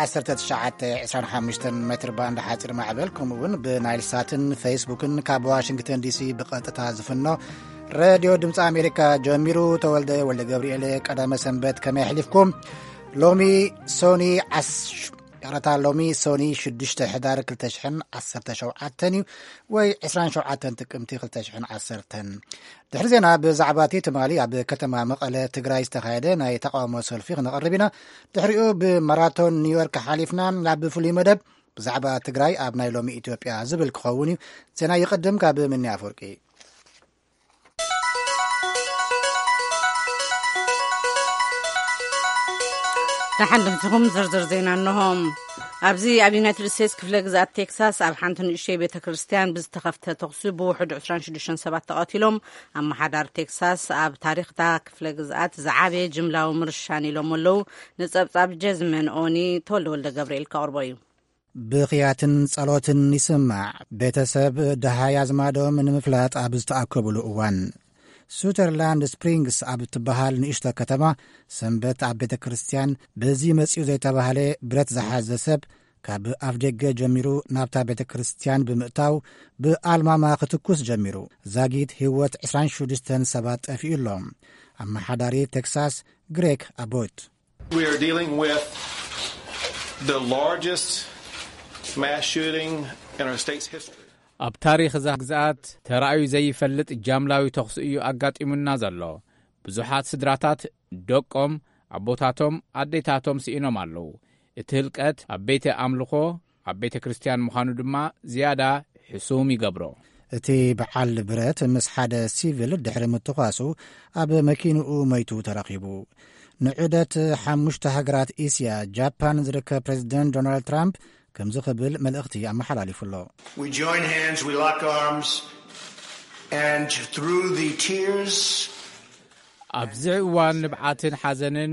ዓሰርተ ትሽዓተ ዕስራን ሓሙሽተን ሜትር ባንድ ሓፂር ማዕበል፣ ከምኡ እውን ብናይል ሳትን ፌስቡክን ካብ ዋሽንግተን ዲሲ ብቐጥታ ዝፍኖ ሬድዮ ድምፂ ኣሜሪካ ጀሚሩ። ተወልደ ወልደ ገብርኤል፣ ቀዳመ ሰንበት ከመይ ኣሕሊፍኩም? ሎሚ ሶኒ ዓስ-፣ ይቕረታ፣ ሎሚ ሶኒ ሽዱሽተ ሕዳር ክልተ ሽሕን ዓሰርተ ሸውዓተን እዩ፣ ወይ ዕስራን ሸውዓተን ጥቅምቲ ክልተ ሽሕን ዓሰርተን። ድሕሪ ዜና ብዛዕባ እቲ ትማሊ ኣብ ከተማ መቐለ ትግራይ ዝተኻየደ ናይ ተቃውሞ ሰልፊ ክነቕርብ ኢና። ድሕሪኡ ብማራቶን ኒውዮርክ ሓሊፍና ናብ ፍሉይ መደብ ብዛዕባ ትግራይ ኣብ ናይ ሎሚ ኢትዮጵያ ዝብል ክኸውን እዩ። ዜና ይቕድም ካብ ምኒ ኣፈወርቂ። ደሓን ድምፅኹም ዝርዝር ዜና እንሆ። ኣብዚ ኣብ ዩናይትድ ስቴትስ ክፍለ ግዝኣት ቴክሳስ ኣብ ሓንቲ ንእሽተይ ቤተ ክርስቲያን ብዝተኸፍተ ተኹሲ ብውሕዱ ዕስራን ሽዱሽተን ሰባት ተቐቲሎም። ኣመሓዳሪ ቴክሳስ ኣብ ታሪኽታ ክፍለ ግዝኣት ዝዓበየ ጅምላዊ ምርሻን ኢሎም ኣለዉ። ንጸብጻብ ጀዝመን ኦኒ ተወልደ ወልደ ገብርኤል ከቕርቦ እዩ። ብኽያትን ጸሎትን ይስማዕ። ቤተሰብ ደሃይ ኣዝማዶም ንምፍላጥ ኣብ ዝተኣከቡሉ እዋን፣ ሱተርላንድ ስፕሪንግስ ኣብ እትበሃል ንእሽቶ ከተማ ሰንበት ኣብ ቤተ ክርስቲያን በዚ መጺኡ ዘይተባህለ ብረት ዝሓዘ ሰብ ካብ ኣፍ ደገ ጀሚሩ ናብታ ቤተ ክርስቲያን ብምእታው ብኣልማማ ክትኩስ ጀሚሩ። ዛጊት ህይወት ዕስራን ሽዱሽተን ሰባት ጠፊኡ ኣሎ። ኣመሓዳሪ ቴክሳስ ግሬክ ኣቦት We are dealing with the largest mass shooting in our state's history. ኣብ ታሪኽ እዛ ግዝኣት ተራእዩ ዘይፈልጥ ጃምላዊ ተኹሲ እዩ ኣጋጢሙና ዘሎ። ብዙሓት ስድራታት ደቆም፣ ኣቦታቶም፣ ኣዴታቶም ስኢኖም ኣለዉ። እቲ ህልቀት ኣብ ቤተ ኣምልኾ፣ ኣብ ቤተ ክርስቲያን ምዃኑ ድማ ዝያዳ ሕሱም ይገብሮ። እቲ በዓል ብረት ምስ ሓደ ሲቪል ድሕሪ ምትኳሱ ኣብ መኪንኡ መይቱ ተረኺቡ። ንዑደት ሓሙሽተ ሃገራት እስያ ጃፓን ዝርከብ ፕሬዚደንት ዶናልድ ትራምፕ ከምዚ ክብል መልእኽቲ ኣመሓላሊፉ ኣሎ። We join hands, we lock arms, and through the tears ኣብዚ እዋን ንብዓትን ሓዘንን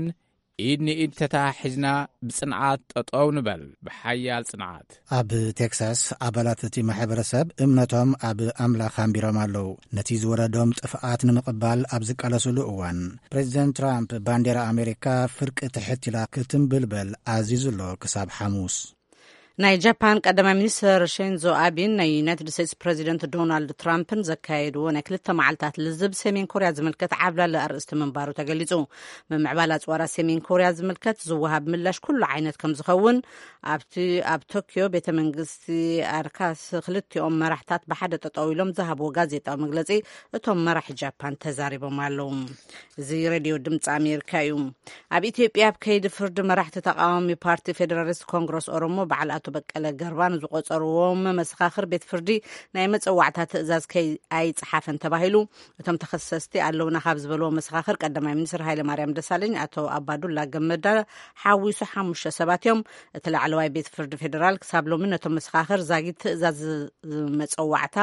ኢድ ንኢድ ተተሓሒዝና ብጽንዓት ጠጠው ንበል፣ ብሓያል ጽንዓት። ኣብ ቴክሳስ ኣባላት እቲ ማሕበረሰብ እምነቶም ኣብ ኣምላኽ ኣንቢሮም ኣለዉ። ነቲ ዝወረዶም ጥፍኣት ንምቕባል ኣብ ዝቃለሱሉ እዋን፣ ፕሬዚደንት ትራምፕ ባንዴራ ኣሜሪካ ፍርቂ ትሕት ኢላ ክትንብልበል ኣዚዙ ኣሎ ክሳብ ሓሙስ። ናይ ጃፓን ቀዳማይ ሚኒስትር ሼንዞ ኣቢን ናይ ዩናይትድ ስቴትስ ፕሬዚደንት ዶናልድ ትራምፕን ዘካየድዎ ናይ ክልተ መዓልታት ልዝብ ሰሜን ኮርያ ዝምልከት ዓብላሊ ኣርእስቲ ምንባሩ ተገሊጹ። ምምዕባል ኣጽዋራት ሰሜን ኮርያ ዝምልከት ዝወሃብ ምላሽ ኩሉ ዓይነት ከም ዝኸውን ኣብቲ ኣብ ቶኪዮ ቤተ መንግስቲ ኣርካስ ክልቲኦም መራሕታት ብሓደ ጠጠው ኢሎም ዝሃብዎ ጋዜጣዊ መግለጺ እቶም መራሒ ጃፓን ተዛሪቦም ኣለዉ። እዚ ሬድዮ ድምፂ ኣሜሪካ እዩ። ኣብ ኢትዮጵያ ኣብ ከይዲ ፍርዲ መራሕቲ ተቃዋሚ ፓርቲ ፌዴራሊስት ኮንግረስ ኦሮሞ በዓል ኣቶ በቀለ ገርባ ንዝቆጸርዎም መሰኻኽር ቤት ፍርዲ ናይ መጸዋዕታ ትእዛዝ ከይ ኣይጸሓፈን ተባሂሉ። እቶም ተኸሰስቲ ኣለውና ካብ ዝበልዎ መሰኻኽር ቀዳማይ ሚኒስትር ሃይለ ማርያም ደሳለኝ፣ ኣቶ ኣባዱላ ገመዳ ሓዊሱ ሓሙሽተ ሰባት እዮም። እቲ ላዕለዋይ ቤት ፍርዲ ፌዴራል ክሳብ ሎሚ ነቶም መሰኻኽር ዛጊት ትእዛዝ መጸዋዕታ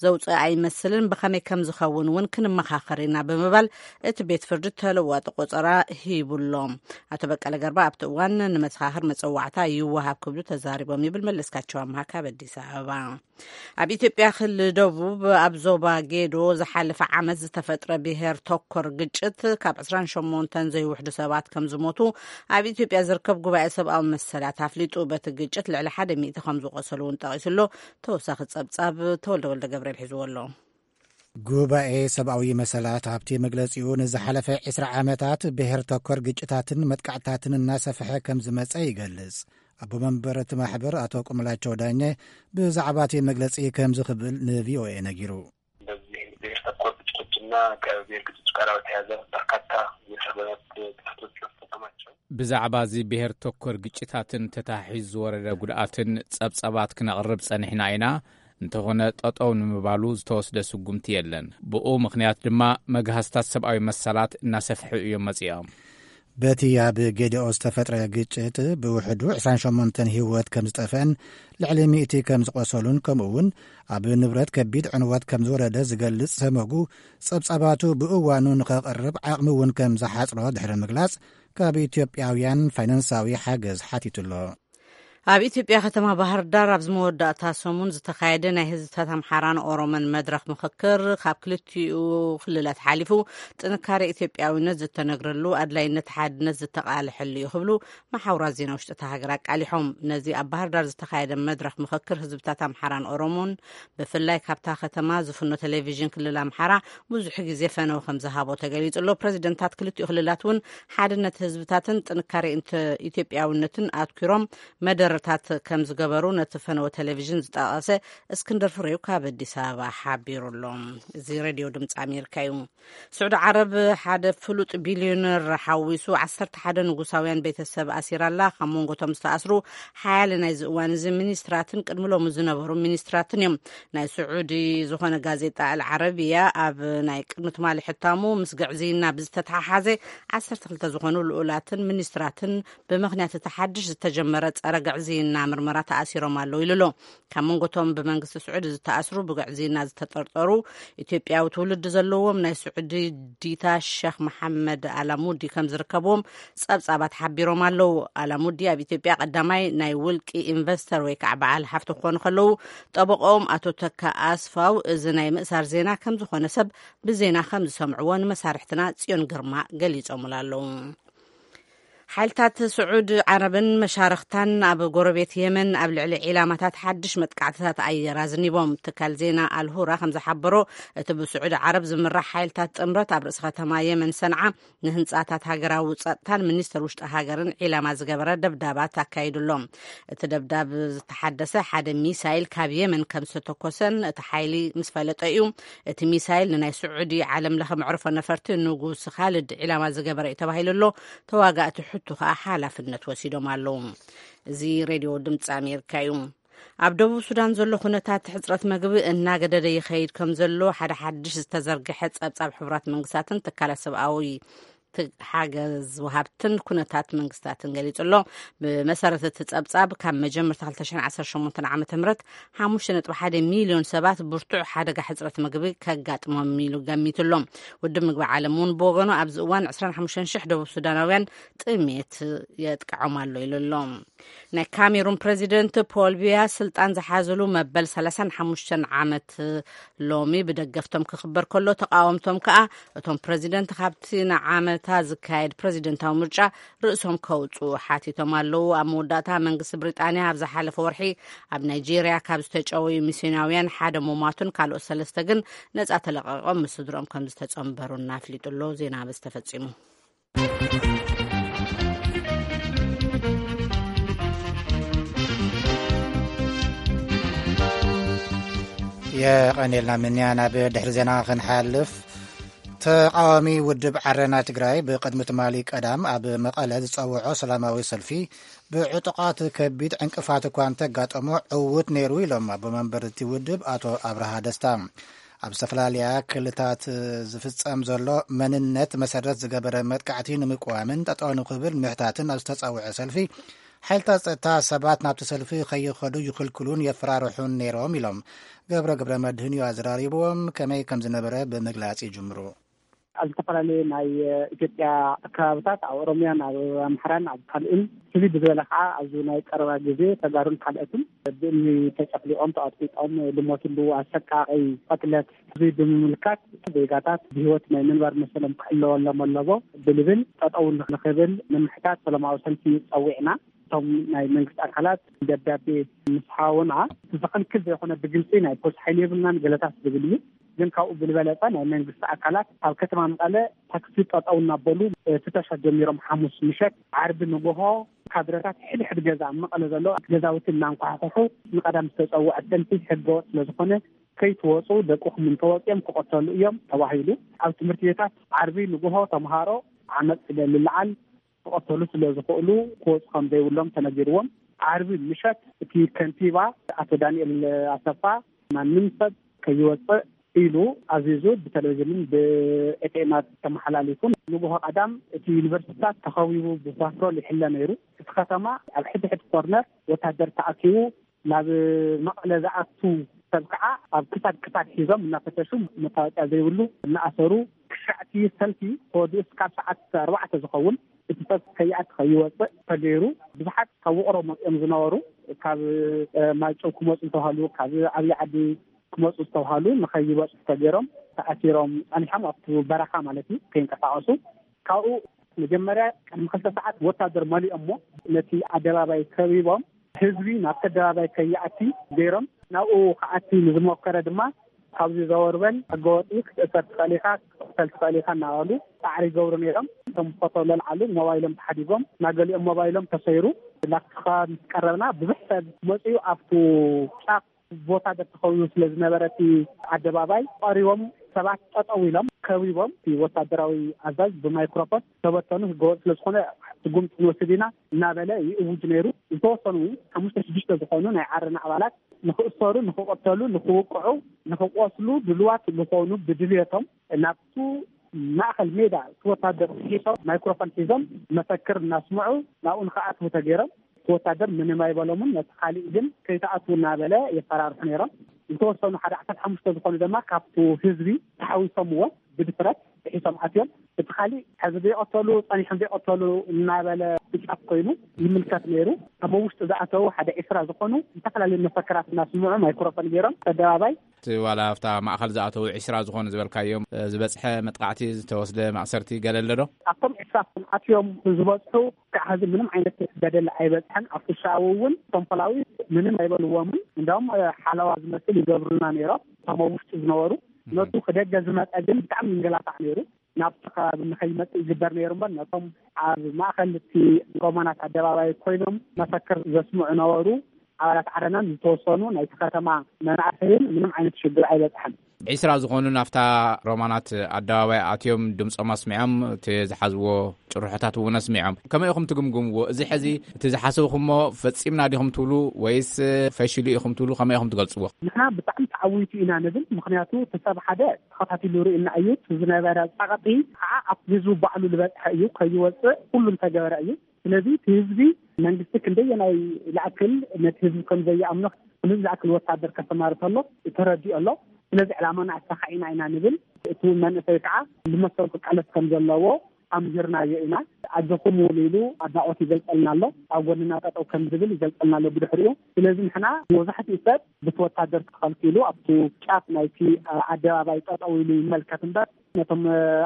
ዘውፅእ ኣይመስልን፣ ብኸመይ ከም ዝኸውን እውን ክንመኻኸር ኢና ብምባል እቲ ቤት ፍርዲ ተለዋጢ ቆጸራ ሂቡሎም። ኣቶ በቀለ ገርባ ኣብቲ እዋን ንመሰኻኽር መጸዋዕታ ይወሃብ ክብሉ ተዛሪቦም ይብል መለስካቸው ኣምሃ ካብ ኣዲስ ኣበባ። ኣብ ኢትዮጵያ ክልል ደቡብ ኣብ ዞባ ጌዶ ዝሓለፈ ዓመት ዝተፈጥረ ብሔር ተኮር ግጭት ካብ ዕስራን ሸሞንተን ዘይውሕዱ ሰባት ከም ዝሞቱ ኣብ ኢትዮጵያ ዝርከብ ጉባኤ ሰብኣዊ መሰላት ኣፍሊጡ። በቲ ግጭት ልዕሊ ሓደ ሚእቲ ከም ዝቆሰሉ እውን ጠቒሱ ኣሎ። ተወሳኺ ጸብጻብ ተወልደ ወልደ ገብርኤል ሒዝዎ ኣሎ። ጉባኤ ሰብኣዊ መሰላት ኣብቲ መግለጺኡ ንዝሓለፈ ዕስራ ዓመታት ብሔር ተኮር ግጭታትን መጥቃዕታትን እናሰፍሐ ከም ዝመጸ ይገልጽ። ኣቦ መንበር እቲ ማሕበር ኣቶ ቁምላቸው ዳኘ ብዛዕባ እቲ መግለጺ ከምዚ ክብል ንቪኦኤ ነጊሩ። በዚህ ብሔር ተኮር ግጭቶችና ከብሔር ግጭቶች ጋር በተያያዘ በርካታ የሰብአዊ መብት ጥሰቶች መፈጸማቸው ብዛዕባ እዚ ብሔር ተኮር ግጭታትን ተታሒዙ ዝወረደ ጉድኣትን ጸብጻባት ክነቕርብ ጸኒሕና ኢና። እንተኾነ ጠጠው ንምባሉ ዝተወስደ ስጉምቲ የለን። ብኡ ምኽንያት ድማ መግሃስታት ሰብኣዊ መሰላት እናሰፍሑ እዮም መጺኦም። በቲ ኣብ ጌዲኦ ዝተፈጥረ ግጭት ብውሕዱ ዕስራን ሸሞንተን ህይወት ከም ዝጠፍአን ልዕሊ ሚእቲ ከም ዝቆሰሉን ከምኡ እውን ኣብ ንብረት ከቢድ ዕንወት ከም ዝወረደ ዝገልጽ ሰመጉ፣ ጸብጻባቱ ብእዋኑ ንኸቕርብ ዓቕሚ እውን ከም ዝሓጽሮ ድሕሪ ምግላጽ ካብ ኢትዮጵያውያን ፋይናንሳዊ ሓገዝ ሓቲቱ ኣሎ። ኣብ ኢትዮጵያ ከተማ ባህር ዳር ኣብዚ መወዳእታ ሰሙን ዝተኻየደ ናይ ህዝብታት ኣምሓራን ኦሮሞን መድረኽ ምኽክር፣ ካብ ክልቲኡ ክልላት ሓሊፉ ጥንካሬ ኢትዮጵያዊነት ዝተነግረሉ፣ ኣድላይነት ሓድነት ዝተቃለሐሉ እዩ ክብሉ መሓውራት ዜና ውሽጢ እታ ሃገር ኣቃሊሖም። ነዚ ኣብ ባህር ዳር ዝተኻየደ መድረኽ ምኽክር ህዝብታት ኣምሓራን ኦሮሞን፣ ብፍላይ ካብታ ከተማ ዝፍኖ ቴሌቪዥን ክልል ኣምሓራ ብዙሕ ግዜ ፈነው ከም ዝሃቦ ተገሊጹ ኣሎ። ፕረዚደንታት ክልቲኡ ክልላት እውን ሓድነት ህዝብታትን ጥንካሬ ኢንተ-፣ ኢትዮጵያዊነትን ኣትኲሮም መደረታት ከም ዝገበሩ ነቲ ፈነወ ቴሌቪዥን ዝጠቐሰ እስክንድር ፍሬው ካብ ኣዲስ ኣበባ ሓቢሩ ኣሎ። እዚ ሬድዮ ድምፂ ኣሜሪካ እዩ። ስዑዲ ዓረብ ሓደ ፍሉጥ ቢልዮነር ሓዊሱ ዓሰርተ ሓደ ንጉሳውያን ቤተሰብ ኣሲራ ኣላ። ካብ መንጎቶም ዝተኣስሩ ሓያለ ናይዚ እዋን እዚ ሚኒስትራትን ቅድሚ ሎሚ ዝነበሩ ሚኒስትራትን እዮም። ናይ ስዑዲ ዝኾነ ጋዜጣ ኣል ዓረብያ ኣብ ናይ ቅድሚ ትማሊ ሕታሙ፣ ምስ ግዕዝይና ብዝተተሓሓዘ ዓሰርተ ክልተ ዝኾኑ ልኡላትን ሚኒስትራትን ብምኽንያት እቲ ሓድሽ ዝተጀመረ ጸረ ግዕዝይና ምርመራ ተኣሲሮም ኣለዉ ኢሉ ኣሎ። ካብ መንጎቶም ብመንግስቲ ስዑዲ ዝተኣስሩ ብግዕዝይና ዝተጠርጠሩ ኢትዮጵያዊ ትውልዲ ዘለዎም ናይ ስዑዲ ዲታ ሸኽ መሓመድ ኣላሙዲ ከም ዝርከብዎም ጸብጻባት ሓቢሮም ኣለዉ። ኣላሙዲ ኣብ ኢትዮጵያ ቀዳማይ ናይ ውልቂ ኢንቨስተር ወይ ከዓ በዓል ሃፍቲ ክኾኑ ከለዉ፣ ጠበቆም ኣቶ ተካ ኣስፋው እዚ ናይ ምእሳር ዜና ከም ዝኾነ ሰብ ብዜና ከም ዝሰምዕዎ ንመሳርሕትና ጽዮን ግርማ ገሊጾምሉ ኣለዉ። ሓይልታት ስዑድ ዓረብን መሻርኽታን ኣብ ጎረቤት የመን ኣብ ልዕሊ ዒላማታት ሓድሽ መጥቃዕትታት ኣየር ኣዝኒቦም። ትካል ዜና ኣልሁራ ከም ዝሓበሮ፣ እቲ ብስዑድ ዓረብ ዝምራሕ ሓይልታት ጥምረት ኣብ ርእሲ ከተማ የመን ሰንዓ ንህንጻታት ሃገራዊ ጸጥታን ሚኒስተር ውሽጢ ሃገርን ዒላማ ዝገበረ ደብዳባት ኣካይዱ ኣሎ። እቲ ደብዳብ ዝተሓደሰ ሓደ ሚሳይል ካብ የመን ከም ዝተተኮሰን እቲ ሓይሊ ምስ ፈለጠ እዩ። እቲ ሚሳይል ንናይ ስዑዲ ዓለም ለኸ መዕርፎ ነፈርቲ ንጉስ ኻልድ ዒላማ ዝገበረ እዩ ተባሂሉ ኣሎ። ተዋጋእቲ ሕቱ ከኣ ሓላፍነት ወሲዶም ኣለዉ። እዚ ሬድዮ ድምፂ ኣሜሪካ እዩ። ኣብ ደቡብ ሱዳን ዘሎ ኩነታት ሕፅረት መግቢ እናገደደ ይኸይድ ከም ዘሎ ሓደ ሓድሽ ዝተዘርግሐ ጸብጻብ ሕቡራት መንግስታትን ትካላት ሰብኣዊ ት-፣ ሓገዝ ወሃብትን ኩነታት መንግስታትን ገሊጹ ኣሎ። ብመሰረት እቲ ጸብጻብ፣ ካብ መጀመርታ ክልተ ሽሕን ዓሰርተ ሸሞንተን ዓመተ ምህረት ሓሙሽተ ነጥቢ ሓደ ሚልዮን ሰባት ብርቱዕ ሓደጋ ሕጽረት ምግቢ ከጋጥሞም ኢሉ ገሚቱ ኣሎ። ውድብ ምግቢ ዓለም እውን ብወገኑ፣ ኣብዚ እዋን ዕስራን ሓሙሽተን ሽሕ ደቡብ ሱዳናውያን ጥሜት የጥቅዖም ኣሎ ኢሉ ኣሎ። ናይ ካሜሩን ፕረዚደንት ፖል ቢያ ስልጣን ዝሓዝሉ መበል ሰላሳን ሓሙሽተን ዓመት ሎሚ ብደገፍቶም ክኽበር ከሎ፣ ተቃወምቶም ከኣ እቶም ፕረዚደንት ካብቲ ንዓመታ ዝካየድ ፕረዚደንታዊ ምርጫ ርእሶም ከውጽኡ ሓቲቶም ኣለዉ። ኣብ መወዳእታ መንግስቲ ብሪጣንያ ኣብ ዝሓለፈ ወርሒ ኣብ ናይጄርያ ካብ ዝተጨወዩ ሚስዮናውያን ሓደ ምሟቱን ካልኦት ሰለስተ ግን ነጻ ተለቐቖም ምስ ስድርኦም ከም ዝተጸንበሩን ኣፍሊጡ ኣሎ። ዜና በዚ ተፈጺሙ። የቐኔልና ምንያ። ናብ ድሕሪ ዜና ክንሓልፍ፣ ተቃዋሚ ውድብ ዓረና ትግራይ ብቅድሚ ትማሊ ቀዳም ኣብ መቐለ ዝጸውዖ ሰላማዊ ሰልፊ ብዕጡቓት ከቢድ ዕንቅፋት እኳ እንተጋጠሞ ዕዉት ነይሩ ኢሎም ኣቦ መንበር እቲ ውድብ ኣቶ ኣብርሃ ደስታ። ኣብ ዝተፈላለያ ክልታት ዝፍጸም ዘሎ መንነት መሰረት ዝገበረ መጥቃዕቲ ንምቅዋምን ጠጠው ንክብል ምሕታትን ኣብ ዝተጸውዐ ሰልፊ፣ ሓይልታት ጸጥታ ሰባት ናብቲ ሰልፊ ከይኸዱ ይኽልክሉን የፈራርሑን ነይሮም ኢሎም። ገብረ ገብረ መድህን እዩ ኣዘራሪብዎም። ከመይ ከም ዝነበረ ብምግላጽ ይጅምሩ። ኣብ ዝተፈላለዩ ናይ ኢትዮጵያ ከባብታት፣ ኣብ ኦሮሚያን ኣብ ኣምሓራን ኣብ ካልእን፣ ፍልይ ብዝበለ ከዓ ኣብዚ ናይ ቀረባ ግዜ ተጋሩን ካልኦትን ብእምኒ ተጨፍሊቖም፣ ተቐጥቂጦም፣ ዝሞትሉ ኣሰቃቒ ቅትለት፣ እዚ ብምምልካት ዜጋታት ብህይወት ናይ ምንባር መሰሎም ክሕለወሎም ኣለዎ ብልብል ጠጠው ንኽብል ንምሕታት ሰላማዊ ሰልፊ ጸዊዕና። እቶም ናይ መንግስቲ ኣካላት ደብዳቤ ምስ ሃቡና፣ እቲ ዘኽልክል ዘይኮነ ብግልጺ ናይ ፖሊስ ሓይሊ የብልናን ገለታት ዝብል እዩ። ግን ካብኡ ብዝበለጸ ናይ መንግስቲ ኣካላት ኣብ ከተማ መቐለ ታክሲ ጠጠው እናበሉ ፍተሻ ጀሚሮም፣ ሓሙስ ምሸት ዓርቢ ንግሆ ካድረታት ሕድሕድ ገዛ ኣብ መቐለ ዘሎ ገዛውቲ እናንኳሕኩሑ፣ ንቀዳም ዝተጸውዐ ሰልፊ ሕገወጥ ስለ ዝኾነ ከይትወጹ፣ ደቅኹም እንተወጺኦም ክቐተሉ እዮም ተባሂሉ። ኣብ ትምህርቲ ቤታት ዓርቢ ንግሆ ተምሃሮ ዓመጽ ስለ ልልዓል ክቐተሉ ስለ ዝኽእሉ ክወጹ ከም ዘይብሎም ተነጊርዎም። ዓርቢ ምሸት እቲ ከንቲባ ኣቶ ዳንኤል ኣሰፋ ማንም ሰብ ከይወጽእ ኢሉ ኣዚዙ፣ ብቴሌቪዥንን ብኤፍኤማት ተመሓላሊፉ። ንግሆ ቀዳም እቲ ዩኒቨርሲቲታት ተኸቢቡ ብፓትሮል ይሕለ ነይሩ። እቲ ከተማ ኣብ ሕድሕድ ኮርነር ወታደር ተኣኪቡ፣ ናብ መቐለ ዝኣቱ ሰብ ከዓ ኣብ ክሳድ ክሳድ ሒዞም እናፈተሹ፣ መታወቂያ ዘይብሉ እናኣሰሩ፣ ክሻዕቲ ሰልፊ ተወዲኡ እስካብ ሰዓት ኣርባዕተ ዝኸውን እቲ ሰብ ከይኣት ከይወፅእ ተገይሩ። ብዙሓት ካብ ውቕሮ መፂኦም ዝነበሩ ካብ ማይጨው ክመፁ ዝተባሃሉ፣ ካብ ዓብዪ ዓዲ ክመፁ ዝተባሃሉ ንኸይወፁ ተገይሮም ተኣሲሮም ፃኒሖም ኣብቲ በረኻ ማለት እዩ ከይንቀሳቐሱ። ካብኡ መጀመርያ ቅድሚ ክልተ ሰዓት ወታደር መሊኦሞ ነቲ ኣደባባይ ከቢቦም ህዝቢ ናብቲ ኣደባባይ ከይኣቲ ገይሮም። ናብኡ ክኣቲ ንዝሞከረ ድማ ካብዚ ዘወርበል ሕገወጢ ክትእሰር ትኽእል ኢኻ፣ ክትቕተል ትኽእል ኢኻ እናበሉ ፃዕሪ ይገብሩ ነይሮም። እቶም ፎቶ ለልዓሉ ሞባይሎም ተሓዲጎም ናገሊኦም ሞባይሎም ተሰይሩ። ላስቲካ ምስ ቀረብና ብዙሕ ሰብ መፅኡ ኣብቱ ጫፍ ቦታ ተተኸዊቡ ስለ ዝነበረ እቲ ኣደባባይ ቀሪቦም ሰባት ጠጠው ኢሎም ከቢቦም እቲ ወታደራዊ ኣዛዝ ብማይክሮፎን ተበተኑ፣ ህገወጥ ስለ ዝኾነ ስጉምቲ ንወስድ ኢና እናበለ ይእውጅ ነይሩ። ዝተወሰኑ ሓሙሽተ ሽዱሽተ ዝኾኑ ናይ ዓረና ኣባላት ንክእሰሩ፣ ንክቐተሉ፣ ንክውቅዑ፣ ንክቆስሉ ድልዋት ዝኾኑ ብድልየቶም ናብቱ ማእኸል ሜዳ እቲ ወታደር ሒሶም ማይክሮፎን ሒዞም መፈክር እናስምዑ ናብኡ ንክኣትዉ ተገይሮም። እቲ ወታደር ምንም ኣይበሎምን። ነቲ ካሊእ ግን ከይትኣትዉ እናበለ የፈራርሑ ነይሮም። ዝተወሰኑ ሓደ ዓሰርተ ሓሙሽተ ዝኾኑ ድማ ካብቲ ህዝቢ ተሓዊሶምዎ ብድፍረት ጥሒሶም ኣትዮም። እቲ ካሊእ ሕዚ ዘይቐተሉ ጸኒሖም ዘይቐተሉ እናበለ ብጫፍ ኮይኑ ይምልከት ነይሩ። ኣብ ውሽጢ ዝኣተዉ ሓደ ዒስራ ዝኾኑ ዝተፈላለዩ መፈክራት እናስምዑ ማይክሮፎን ገይሮም ተደባባይ እቲ ዋላ ኣብታ ማእኸል ዝኣተዉ ዒስራ ዝኾኑ ዝበልካዮም፣ እ፣ ዝበጽሐ መጥቃዕቲ፣ ዝተወስደ ማእሰርቲ ገለ ኣሎ ዶ? ኣብቶም ዒስራ ኣትዮም ዝበጽሑ ክሳዕ ሕዚ ምንም ዓይነት በደል ኣይበጽሐን። ኣብ ኩሻዊ እውን እቶም ፖላዊስ ምንም ኣይበልዎምን። እንዳውም፣ እ፣ ሓለዋ ዝመስል ይገብሩልና ነይሮም። እቶም ኣብ ውሽጢ ዝነበሩ፣ ነቱ ክደገ ዝመጸ ግን ብጣዕሚ ይንገላታዕ ነይሩ። ናብቲ ከባቢ ንኸይመጽእ ይግበር ነይሩ እምበር፣ ነቶም ኣብ ማእከል እቲ ሮማናት ኣደባባይ ኮይኖም መፈክር ዘስምዑ ነበሩ ኣባላት ዓረናን ዝተወሰኑ ናይቲ ከተማ መናእሰይን ምንም ዓይነት ሽግር ኣይበጽሐን። ዒስራ ዝኾኑ ናብታ ሮማናት ኣደባባይ ኣትዮም ድምጾም ኣስሚዖም፣ እቲ ዝሓዝዎ ጭርሖታት እውን ኣስሚዖም። ከመይ ኢኹም ትግምግምዎ? እዚ ሕዚ እቲ ዝሓሰብኩሞ ፈጺምና ዲኹም ትብሉ ወይስ ፈሺሉ ኢኹም ትብሉ? ከመይ ኢኹም ትገልጽዎ? ንሕና ብጣዕሚ ተዓዊቱ ኢና ንብል። ምኽንያቱ እቲ ሰብ ሓደ ተኸታቲሉ ርእና እዩ። እቲ ዝነበረ ጸቕጢ ከዓ ኣብ ህዝቡ ባዕሉ ዝበጽሐ እዩ። ከይወጽእ ኩሉ እንተገበረ እዩ። ስለዚ እቲ ህዝቢ መንግስቲ ክንደየናይ ዝኣክል ነቲ ህዝቢ ከም ዘይኣምኖ፣ ክንደይ ዝኣክል ወታደር ከሰማርተሎ ተረዲኦ ኣሎ። ስለዚ ዕላማና ኣሳኻዒና ኢና ንብል። እቲ መንእሰይ ከዓ ዝመሰል ክቃለስ ከም ዘለዎ ኣምሂርናዮ ኢና። ኣጆኹም እውን ኢሉ ኣድናቖት ይገልጸልና ኣሎ። ኣብ ጎንና ጠጠው ከም ዝብል ይገልጸልና ኣሎ። ብድሕሪኡ ስለዚ ንሕና መብዛሕትኡ ሰብ ብቲ ወታደር ተኸልኪሉ ኣብቲ ጫፍ ናይቲ ኣደባባይ ጠጠው ኢሉ ይመልከት እምበር ነቶም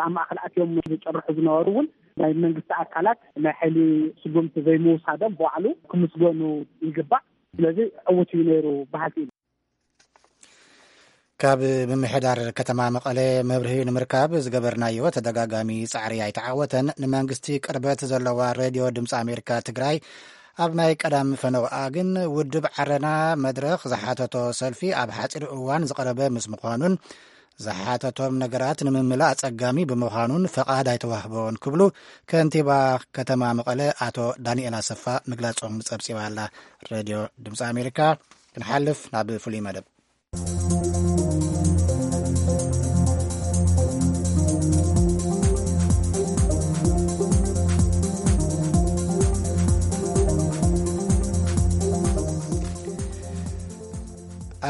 ኣብ ማእከል ኣትዮም ዝጭርሑ ዝነበሩ እውን ናይ መንግስቲ ኣካላት ናይ ሓይሊ ስጉምቲ ዘይምውሳዶም ባዕሉ ክምስገኑ ይግባእ። ስለዚ ዕዉት እዩ ነይሩ በሃልቲ ኢና። ካብ ምምሕዳር ከተማ መቐለ መብርሂ ንምርካብ ዝገበርናዮ ተደጋጋሚ ጻዕሪ ኣይተዓወተን። ንመንግስቲ ቅርበት ዘለዋ ሬድዮ ድምፂ ኣሜሪካ ትግራይ ኣብ ናይ ቀዳም ፈነውኣ ግን ውድብ ዓረና መድረኽ ዝሓተቶ ሰልፊ ኣብ ሓፂር እዋን ዝቐረበ ምስ ምዃኑን ዝሓተቶም ነገራት ንምምላእ ኣጸጋሚ ብምዃኑን ፈቓድ ኣይተዋህቦን ክብሉ ከንቲባ ከተማ መቐለ ኣቶ ዳንኤል ኣሰፋ ምግላጾም ጸብጺባ ኣላ። ሬድዮ ድምፂ ኣሜሪካ። ክንሓልፍ ናብ ፍሉይ መደብ።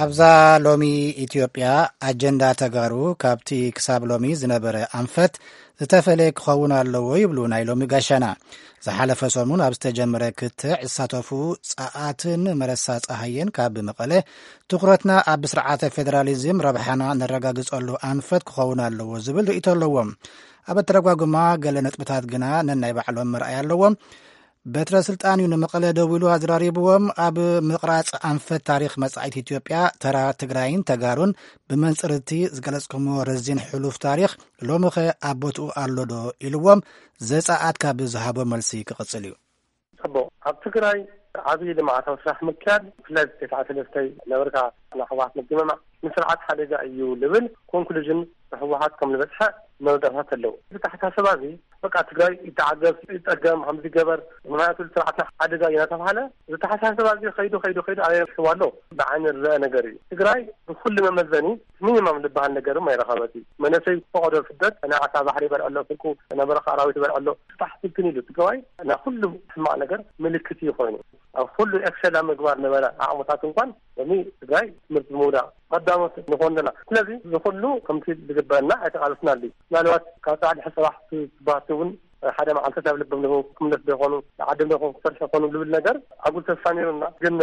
ኣብዛ ሎሚ ኢትዮጵያ ኣጀንዳ ተጋሩ ካብቲ ክሳብ ሎሚ ዝነበረ ኣንፈት ዝተፈለየ ክኸውን ኣለዎ ይብሉ ናይ ሎሚ ጋሻና። ዝሓለፈ ሰሙን ኣብ ዝተጀመረ ክትዕ ዝሳተፉ ጸኣትን መረሳ ጸሃየን ካብ መቐለ ትኹረትና ኣብ ስርዓተ ፌደራሊዝም ረብሓና ነረጋግጸሉ ኣንፈት ክኸውን ኣለዎ ዝብል ርእይቶ ኣለዎም። ኣብ ኣተረጓጉማ ገለ ነጥብታት ግና ነናይ ባዕሎም መርኣያ ኣለዎም። በትረ ስልጣን እዩ ንመቐለ ደዊሉ ኣዝራሪብዎም። ኣብ ምቕራጽ ኣንፈት ታሪኽ መጻኢት ኢትዮጵያ ተራ ትግራይን ተጋሩን ብመንጽር እቲ ዝገለጽኩሞ ረዚን ሕሉፍ ታሪኽ ሎምኸ ኣብ ቦትኡ ኣሎ ዶ ኢልዎም ዘጸኣት ካብ ዝሃቦ መልሲ ክቕጽል እዩ። ጽቡቕ። ኣብ ትግራይ ዓብዪ ልምዓታዊ ስራሕ ምክያድ፣ ብፍላይ ተስዓተ ሰለስተይ ነበርካ ናይ ህወሓት ምግምማዕ ንስርዓት ሓደጋ እዩ ልብል ኮንክሉዥን ብህወሓት ከም ዝበፅሐ መረዳእታት ኣለዉ። እዚ ተሓሳስባ እዚ በቃ ትግራይ ይተዓገብ፣ ይፀገም፣ ከምዚ ይገበር፣ ምኽንያቱ ስርዓትና ሓደጋ እዩ እናተባሃለ፣ እዚ ተሓሳስባ እዚ ከይዱ ከይዱ ከይዱ ኣበይ በፂሕዋ ኣሎ? ብዓይኒ ዝረአ ነገር እዩ። ትግራይ ብኩሉ መመዘኒ ሚኒማም ዝበሃል ነገር ድማ ኣይረኸበት እዩ። መንእሰይ ፈቐዶ ስደት፣ ናይ ዓሳ ባሕሪ ይበልዐ ኣሎ፣ ስንቁ ናይ በረኻ ኣራዊት ይበልዐ ኣሎ። ስጣሕ ስልትን ኢሉ ትግራዋይ ናይ ኩሉ ሕማቕ ነገር ምልክት እዩ ኮይኑ። ኣብ ኩሉ ኤክሰል ኣብ ምግባር ነበረ ዓቕምታት እንኳን ሎሚ ትግራይ ትምህርቲ ምውዳቕ ቀዳሞት ንኾን ኣለና። ስለዚ እዚ ኩሉ ከምቲ ዝግበአና ኣይተቓለስናሉ እዩ። ምናልባት ካብ ጻዕዲ ሕሰባሕ ትባህቲ እውን ሓደ መዓልቲ ናብ ልቦም ዶ ክምለስ ዶ ይኾኑ፣ ዓዶም ዶ ክሰርሑ ይኾኑ ዝብል ነገር ኣጉል ተስፋ ነይሩና። ግን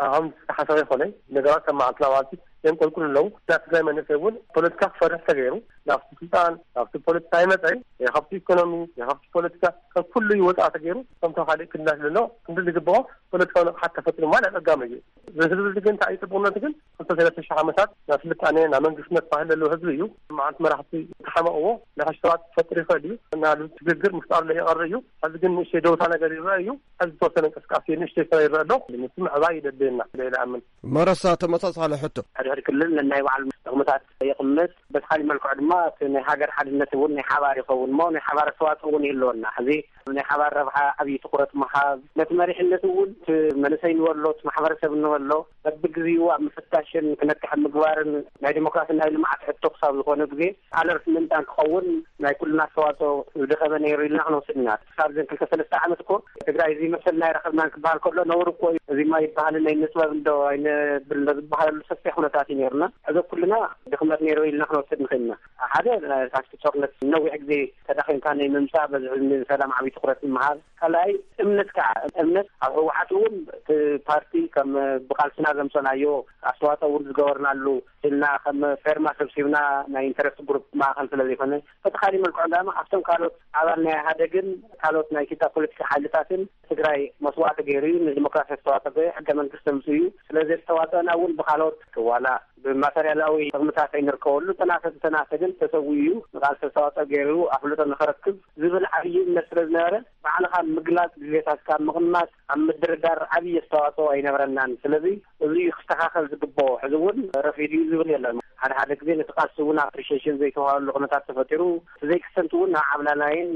ኣሁን ተሓሳቢ ይኾነ ነገራት ከም መዓልትና መዓልቲ የንቆልቁል ኣለዉ። ናይ ትግራይ መንእሰይ እውን ፖለቲካ ክፈርሕ ተገይሩ፣ ናብቲ ስልጣን ናብቲ ፖለቲካ ይመፀ እዩ። የኸብቲ ኢኮኖሚ፣ የኸብቲ ፖለቲካ፣ ካብ ኩሉ ይወፃ ተገይሩ። ከምቶም ካልእ ክልላት ዘሎ ክንዲ ዝግብኦ ፖለቲካዊ ንቕሓት ተፈጢሩ ማለት ኣጋሚ እዩ። እዚ ህዝቢ እዚ ግን እንታይ እዩ ፅቡቅነቱ ግን ክልተ ሰለስተ ሽሕ ዓመታት ናብ ስልጣኔ ናብ መንግስትነት ባህል ዘለዎ ህዝቢ እዩ። መዓልቲ መራሕቲ ተሓመቕዎ ንሕሽ ሰባት ክፈጥር ይኽእል እዩ። ናሉ ትግግር ምፍጣር ለይቐር እዩ። ሕዚ ግን ንእሽተይ ደውታ ነገር ይረአ እዩ። ሕዚ ዝተወሰነ እንቅስቃሴ ንእሽተይ ስራ ይረአ ኣሎ። ምስ ምዕባይ ይደልየና ኢለ ይኣምን። መረሳ ተመሳሳሊ ሕቶ። ሕድሕድ ክልል ነናይ ባዕሉ ጥቕምታት የቕምጥ። በቲ ካሊእ መልክዑ ድማ እቲ ናይ ሃገር ሓድነት እውን ናይ ሓባር ይኸውን እሞ ናይ ሓባር ኣስተዋፅኦ እውን ይህልወና። ሕዚ ናይ ሓባር ረብሓ ዓብዪ ትኹረት ምሃብ፣ ነቲ መሪሕነት እውን እቲ መንእሰይ ንበሎ እቲ ማሕበረሰብ ንበሎ በብግዚኡ ኣብ ምፍታሽን ክነቅሕ ምግባርን ናይ ዲሞክራሲ ናይ ልምዓት ሕቶ ክሳብ ዝኾነ ግዜ ኣለርት ምእንታን ክኸውን ናይ ኩልና ኣስተዋፅኦ ዝደኸመ ነይሩ ኢልና ክንወስድ ኢና። ክሳብ ዘን ክልተ ሰለስተ ዓመት እኮ ትግራይ እዚ መሰልና ኣይረኸብናን ክበሃል ከሎ ነውር እኮ እዩ። እዚ ማ ይበሃል ናይ ንጥበብ እንዶ ኣይነብል እንዶ ዝበሃለሉ ሰፊሕ ኩነታት እዩ ነይሩና። ሕዚ ኩልና ድኽመት ነይሩ ኢልና ክንወስድ ንኽእል ኢና። ሓደ ካብቲ ጦርነት ነዊሕ ግዜ ተዳኺምካ ናይ ምምፃእ በዚ ሕልሚ ሰላም ዓብዪ ትኹረት ምሃብ። ካልኣይ እምነት ከዓ እምነት ኣብ ህወሓት እውን እቲ ፓርቲ ከም ብቃልስና ዘምፀናዮ ኣስተዋፅኦ እውን ዝገበርናሉ ኢልና ከም ፌርማ ሰብሲብና ናይ ኢንተረስት ግሩፕ ማእኸል ስለ ዘይኮነ በተኻሊ መልክዑ ዳማ ኣብቶም ካልኦት ኣባል ናይ ኢህኣደግን ካልኦት ናይ ኢትዮጵያ ፖለቲካ ሓይልታትን ትግራይ መስዋእቲ ገይሩ እዩ። ንዲሞክራሲ ኣስተዋፅኦ ገይሩ ሕገ መንግስቲ ኣምፅኡ እዩ። ስለዚ ኣስተዋፅኦና እውን ብካልኦት ዋላ ብማተርያላዊ ጥቕምታት ኣይንርከበሉ፣ ተናሰ ተናሰ ግን ተሰዊኡ እዩ። ንቃልሲ ኣስተዋፅኦ ገይሩ ኣፍልጦ ንኸረክብ ዝብል ዓብዪ እምነት ስለ ዝነበረ ባዕልኻ ምግላፅ ድሌታትካ ምቕማጥ ኣብ ምድርዳር ዓብዪ ኣስተዋፅኦ ኣይነበረናን። ስለዚ እዚ እዩ ክስተኻኸል ዝግብኦ። ሕዚ እውን ረፊዱ እዩ ዝብል የለን። ሓደ ሓደ ግዜ ነቲ ቃልሲ እውን ኣፕሪሺዬሽን ዘይተዋሃሉ ኩነታት ተፈጢሩ፣ እቲ ዘይክሰንት እውን ናብ ዓብላላይን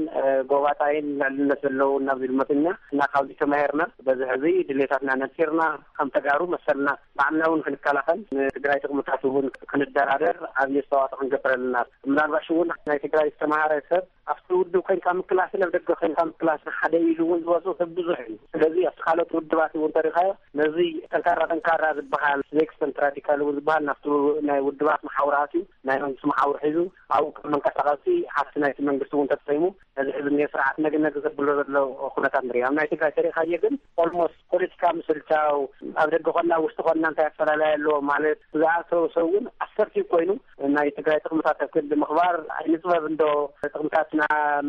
ጎባጣይን ልዕልነት ዘለውን ናብ ዝብል መፅና እና ካብዚ ተማሂርና በዚ ሕዚ ድሌታትና ነፂርና ከም ተጋሩ መሰልና ባዕልና እውን ክንከላኸል ንትግራይ ጥቕምታት እውን ክንደራደር ዓብዪ ኣስተዋፅኦ ክንገብር ኣለና። ምናልባሽ እውን ናይ ትግራይ ዝተምሃረ ሰብ ኣብቲ ውድብ ኮይንካ ምክላስን ኣብ ደገ ኮይንካ ምክላስን ሓደ ኢሉ እውን ዝወፁ ሰብ ብዙሕ እዩ። ስለዚ ኣብቲ ካልኦት ውድባት እውን ተሪኻዮ ነዚ ጠንካራ ጠንካራ ዝበሃል ኔክስተንት ራዲካል እውን ዝበሃል ናብቲ ናይ ውድባት መሓውር ኣትዩ ናይ መንግስቲ መሓውር ሒዙ ኣብኡ ከም መንቀሳቐሲ ሃፍቲ ናይቲ መንግስቲ እውን ተጠቂሙ ነዚ ሕዚ እኒኦ ስርዓት ነግ ነግ ዘብሎ ዘሎ ኩነታት ንሪኦ። ኣብ ናይ ትግራይ ተሪኻዮ ግን ኦልሞስት ፖለቲካ ምስልቻው ኣብ ደገ ኮና ውሽጢ ኮና እንታይ ኣፈላለየ ኣለዎ ማለት ዝኣተወ ሰብ እውን ኣሰርቲቭ ኮይኑ ናይ ትግራይ ጥቕምታት ኣብ ክንዲ ምኽባር ኣይንፅበብ እንዶ ጥቕምታትና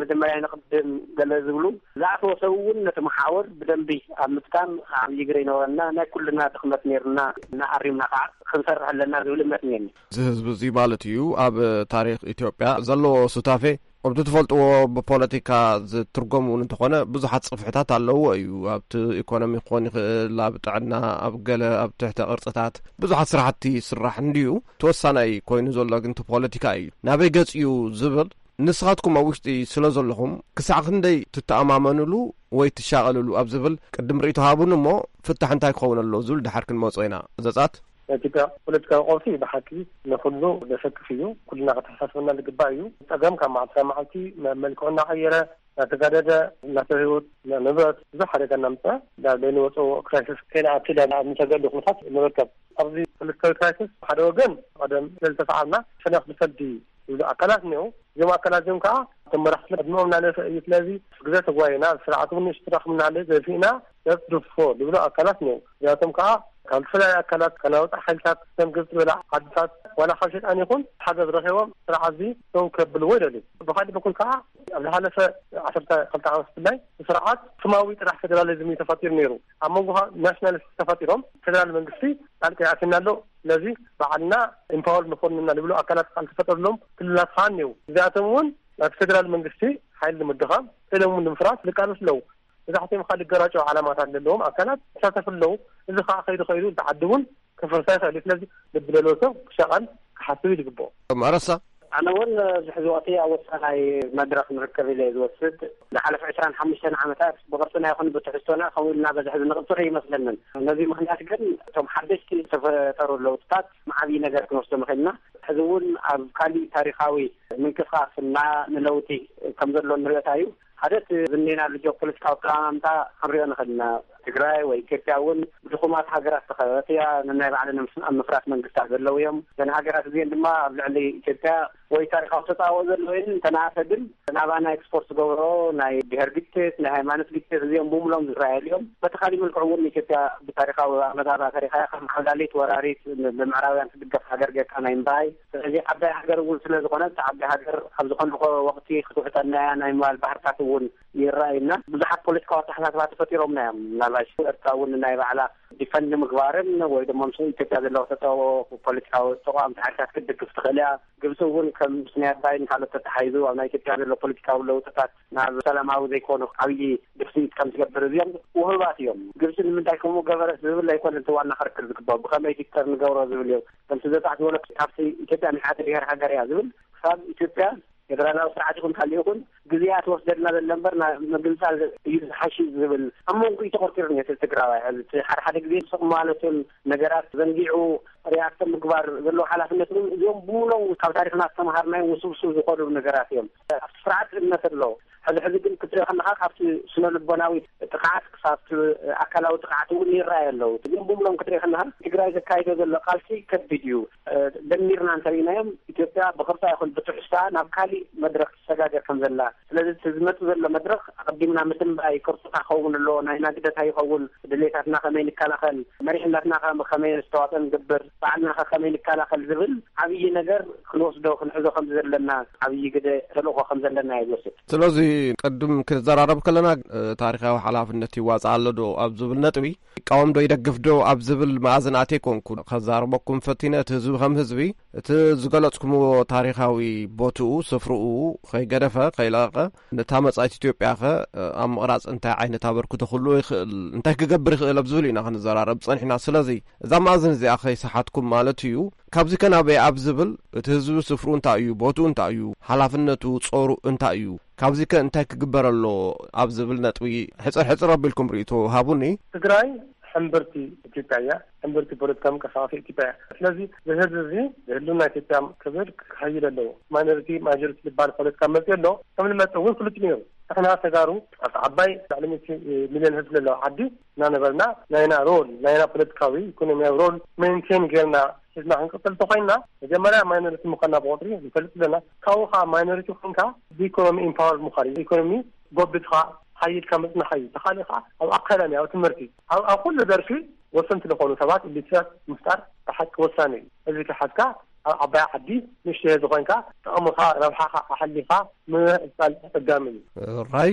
መጀመርያ ይንቕድም ገለ ዝብሉ ዝኣተወ ሰብ እውን ነቲ መሓውር ብደንቢ ኣብ ምጥቃም ዓብዪ ግደ ይነበረና ናይ ኩልና ድኽመት ነይርና እናኣሪምና ከዓ ክንሰርሕ ኣለና ዝብል እምነት እኒአኒ። እዚ ህዝቢ እዚ ማለት እዩ ኣብ ታሪክ ኢትዮጵያ ዘለዎ ሱታፌ ከምቲ ትፈልጥዎ ብፖለቲካ ዝትርጎም እውን እንተኾነ ብዙሓት ጽፍሕታት ኣለዎ እዩ። ኣብቲ ኢኮኖሚ ክኾን ይኽእል፣ ኣብ ጥዕና፣ ኣብ ገለ ኣብ ትሕተ ቅርጽታት ብዙሓት ስራሕቲ ይስራሕ እንድዩ። ተወሳናይ ኮይኑ ዘሎ ግን እቲ ፖለቲካ እዩ። ናበይ ገጽ እዩ ዝብል ንስኻትኩም ኣብ ውሽጢ ስለ ዘለኹም ክሳዕ ክንደይ ትተኣማመኑሉ ወይ ትሻቐልሉ ኣብ ዝብል ቅድም ርእይቶ ሃቡን እሞ ፍታሕ እንታይ ክኸውን ኣለዎ ዝብል ድሓር ክንመጾ ኢና። ዘጻት ናይ ኢትዮጵያ ፖለቲካዊ ቀውሲ ብሓቂ ንኹሉ ዘሰክፍ እዩ። ኩልና ከተሓሳስበና ዝግባእ እዩ። ጸገም ካብ መዓልቲ ናብ መዓልቲ መ- መልክዑ እናቐየረ እናተጋደደ እናተው ህይወት ንብረት ብዙሕ ሓደጋ እናምፀ ዳር ዘይንወፅኦ ክራይሲስ ከይንኣቱ ዳ ኣብ ንሰገሉ ኩነታት ንርከብ። ኣብዚ ፖለቲካዊ ክራይሲስ ሓደ ወገን ቀደም ስለዝተሰዓርና ሸነኽ ብሰልዲ ዝብሉ ኣካላት እኒው። እዚም ኣካላት እዚም ከዓ እቶም መራሕቲ ዕድሚኦም እናነሰ እዩ። ስለዚ ግዘ ተጓይና ስርዓት እውን ንእሽትራ ክምናለ ዘፊእና ሰብ ድፎ ዝብሉ ኣካላት እኒው። እዚኣቶም ከዓ ካብ ዝተፈላለዩ ኣካላት ከናውፃ ሓይልታት ከም ግብፂ ዝበላ ዓድታት ዋላ ካብ ሸጣን ይኹን ሓገዝ ረኺቦም ስርዓት እዚ ሰው ከብልዎ ይደልዩ። ብካሊእ በኩል ከዓ ኣብ ዝሓለፈ ዓሰርተ ክልተ ዓመት ብፍላይ ስርዓት ስማዊ ጥራሕ ፌደራሊዝም እዩ ተፈጢሩ ነይሩ። ኣብ መንጎ ናሽናሊስት ተፈጢሮም ፌደራል መንግስቲ ጣልቃ ይኣትና ኣሎ። ስለዚ ባዕልና ኢምፓወር ንኾንና ዝብሉ ኣካላት ቃል ተፈጠርሎም ክልላት ከዓ እኒው። እዚኣቶም እውን ናብ ፌደራል መንግስቲ ሓይል ንምድኻም ክእሎም ንምፍራስ ዝቃለሱ ኣለዉ። መብዛሕትኦም ካልእ ገራጫዊ ዓላማታት ዘለዎም ኣካላት ይሳተፉ ኣለዉ። እዚ ከዓ ከይዱ ከይዱ እቲ ዓዲ እውን ክፍርሳ ይኽእል እዩ። ስለዚ ልቢ ዘለዎ ሰብ ክሻቐል ክሓስብ እዩ ዝግብኦ። ማረሳ ኣነ እውን ዝሕዚ ወቅቲ ኣብ ወሳናይ መድረክ ንርከብ ኢለ ዝወስድ ዝሓለፈ ዕስራን ሓሙሽተን ዓመታት ብቅርፅና ይኹን ብትሕዝቶና ከምኡ ኢልና በዚ ሕዚ ንቅፅር ይመስለንን። ነዚ ምክንያት ግን እቶም ሓደሽቲ ዝተፈጠሩ ለውጥታት መዓብዪ ነገር ክንወስዶ ምኽእልና። ሕዚ እውን ኣብ ካሊእ ታሪካዊ ምንቅስቃስ እና ንለውጢ ከም ዘሎ ንሪኦታ እዩ። ሓደ እቲ ዝኔና ልጆ ፖለቲካዊ ኣቀማምጣ ክንሪኦ ንኽእል ኢና። ትግራይ ወይ ኢትዮጵያ እውን ብድኹማት ሃገራት ዝተኸበበት እያ። ነናይ ባዕለን ምስ-፣ ኣብ ምፍራስ መንግስታት ዘለዉ እዮም። እዘን ሃገራት እዚአን ድማ ኣብ ልዕሊ ኢትዮጵያ ወይ ታሪኻዊ ተጻብኦ ዘለወን እንተነኣሰ ግን ናባና ኤክስፖርት ዝገብሮ ናይ ብሔር ግጭት፣ ናይ ሃይማኖት ግጭት እዚኦም ብምሎም ዝረኣየሉ እዮም። በቲ ካሊእ መልክዑ እውን ኢትዮጵያ ብታሪኻዊ ኣመጣጣ ተሪኻ ከም ዓብላሊት ወራሪት ብምዕራብያን ትድገፍ ሃገር ጌርካ ናይ ምርኣይ። ስለዚ ዓባይ ሃገር እውን ስለ ዝኾነት ዓባይ ሃገር ኣብ ዝኾነ ወቕቲ ክትውሕጠና እያ ናይ ምባል ባህርታት እውን ይረኣዩና። ብዙሓት ፖለቲካዊ ኣተሓሳስባ ተፈጢሮምና እዮም። ምናልባት ኤርትራ እውን ናይ ባዕላ ዲፈንድ ምግባርን ወይ ድማ ምስ ኢትዮጵያ ዘለዋ ተጻብኦ ፖለቲካዊ ተቃወምቲ ሓይልታት ክትድግፍ ትኽእል እያ። ግብፂ እውን ከም ምክንያት ባይን ካልኦት ተተሓይዙ ኣብ ናይ ኢትዮጵያ ዘሎ ፖለቲካዊ ለውጥታት ናብ ሰላማዊ ዘይኮነ ዓብዪ ድፍኢት ከም ትገብር እዚኦም ውህባት እዮም። ግብፂ ንምንታይ ከምኡ ገበረት ዝብል ኣይኮነን እቲ ዋና ክርክር ዝግባእ፣ ብኸመይ ፊክተር ንገብሮ ዝብል እዮም። ከምቲ ዘጻሕ ዝበሎ ካብቲ ኢትዮጵያ ናይ ሓደ ብሔር ሃገር እያ ዝብል ክሳብ ኢትዮጵያ ፌደራላዊ ስርዓት ይኹን ካልእ ይኹን ግዜ እያ ትወስደልና ዘለ እምበር ናብ ምግንጻል እዩ ዝሓሽ ዝብል ኣብ መንጎ እዩ ተኾርኪሩ ነቲ ትግራዋይ። ሕዚ እቲ ሓደ ሓደ ግዜ ስቕ ማለቱን ነገራት ዘንጊዑ ሪያክት ምግባር ዘለዎ ሓላፍነት እውን እዚኦም ብሙሎም ካብ ታሪኽና ዝተምሃርናዮም ውስብስብ ዝኾኑ ነገራት እዮም። ኣብቲ ስርዓት እምነት ኣሎ። ሕዚ ሕዚ ግን ክትሪኦ ከለኻ ካብቲ ስነ ልቦናዊ ጥቕዓት ክሳብ ኣካላዊ ጥቕዓት እውን ይረኣዩ ኣለዉ። ግን ብሙሎም ክትሪኦ ከለኻ ትግራይ ዘካይዶ ዘሎ ቃልሲ ከቢድ እዩ። ደሚርና እንተሪእናዮም ኢትዮጵያ ብቕርጻ ይኹን ብትሕዝቶኣ ናብ ካሊእ መድረኽ ትሰጋገር ከም ዘላ። ስለዚ እቲ ዝመጽእ ዘሎ መድረኽ ኣቐዲምና ምትንባይ፣ ቅርጽታ ክኸውን ኣለዎ፣ ናይ ናግደት ኣይኸውን፣ ድሌታትና ከመይ ንከላኸል፣ መሪሕነትና ከ-፣ ከመይ ነስተዋጽኦ ንገብር፣ ባዕልና ከ ከመይ ንከላኸል ዝብል ዓብዪ ነገር ክንወስዶ ክንሕዞ ከም ዘለና፣ ዓብዪ ግደ ተልእኾ ከም ዘለና እየ ዝወስድ። ስለዚ ቅድም ክንዘራረብ ከለና፣ እ፣ ታሪኻዊ ሓላፍነት ይዋጻእ ኣሎ ዶ ኣብ ዝብል ነጥቢ፣ ይቃወም ዶ ይደግፍ ዶ ኣብ ዝብል መኣዝን ኣትየ ኮንኩ ከዛርበኩም ፈቲነ። እቲ ህዝቢ ከም ህዝቢ፣ እቲ ዝገለጽኩምዎ ታሪኻዊ ቦትኡ፣ ስፍርኡ ከይገደፈ፣ ከይለቐቐ፣ ነታ መጻኢት ኢትዮጵያ ከ ኣብ ምቕራጽ እንታይ ዓይነት ኣበርክቶ ክህልዎ ይኽእል፣ እንታይ ክገብር ይኽእል ኣብ ዝብል ኢና ክንዘራረብ ጸኒሕና። ስለዚ እዛ መኣዝን እዚኣ ከይሰሓትኩም ማለት እዩ። ካብዚ ከ ናበይ ኣብ ዝብል፣ እቲ ህዝቢ ስፍርኡ እንታይ እዩ፣ ቦትኡ እንታይ እዩ፣ ሓላፍነቱ፣ ጾሩ እንታይ እዩ፣ ካብዚ ከ እንታይ ክግበር ኣሎ ኣብ ዝብል ነጥቢ ሕጽር ሕጽር ኣቢልኩም ርእይቶ ሃቡኒ። ትግራይ ሕምብርቲ ኢትዮጵያ እያ። ሕምብርቲ ፖለቲካ ምንቅስቃስ ኢትዮጵያ እያ። ስለዚ እዚ ህዝቢ እዚ ህልውና ኢትዮጵያ ክብል ክኸይድ ኣለዎ። ማይኖሪቲ ማጆሪቲ ዝበሃል ፖለቲካ መፅእ ኣሎ። ከም ዝመፅእ እውን ፍሉጥ ነይሩ። ንሕና ተጋሩ ኣብ ዓባይ ልዕሊ ሚእቲ ሚልዮን ህዝቢ ዘለዎ ዓዲ እናነበርና ናይና ሮል፣ ናይና ፖለቲካዊ ኢኮኖሚያዊ ሮል ሜንቴን ጌርና ሒዝና ክንቅፅል እንተኮይንና፣ መጀመርያ ማይኖሪቲ ምኳንና ብቁፅሪ ንፈልጥ ኣለና። ካብኡ ከዓ ማይኖሪቲ ኮይንካ ብኢኮኖሚ ኢምፓወር ምኳን እዩ። ኢኮኖሚ ጎቢትካ ሓይልካ ምፅናሕ እዩ። ተኻሊ ከዓ ኣብ ኣካዳሚ፣ ኣብ ትምህርቲ፣ ኣብ፣ ኣብ ኩሉ ዘርፊ ወሰንቲ ዝኾኑ ሰባት ኢሊትራት ምፍጣር ብሓቂ ወሳኒ እዩ። እዚ ከሓዝካ ኣብ ዓባይ ዓዲ ንእሽተይ ዝኾንካ ጥቕምኻ ረብሓኻ ኣሕሊኻ ምዕጻል ኣጸጋሚ እዩ። ራይ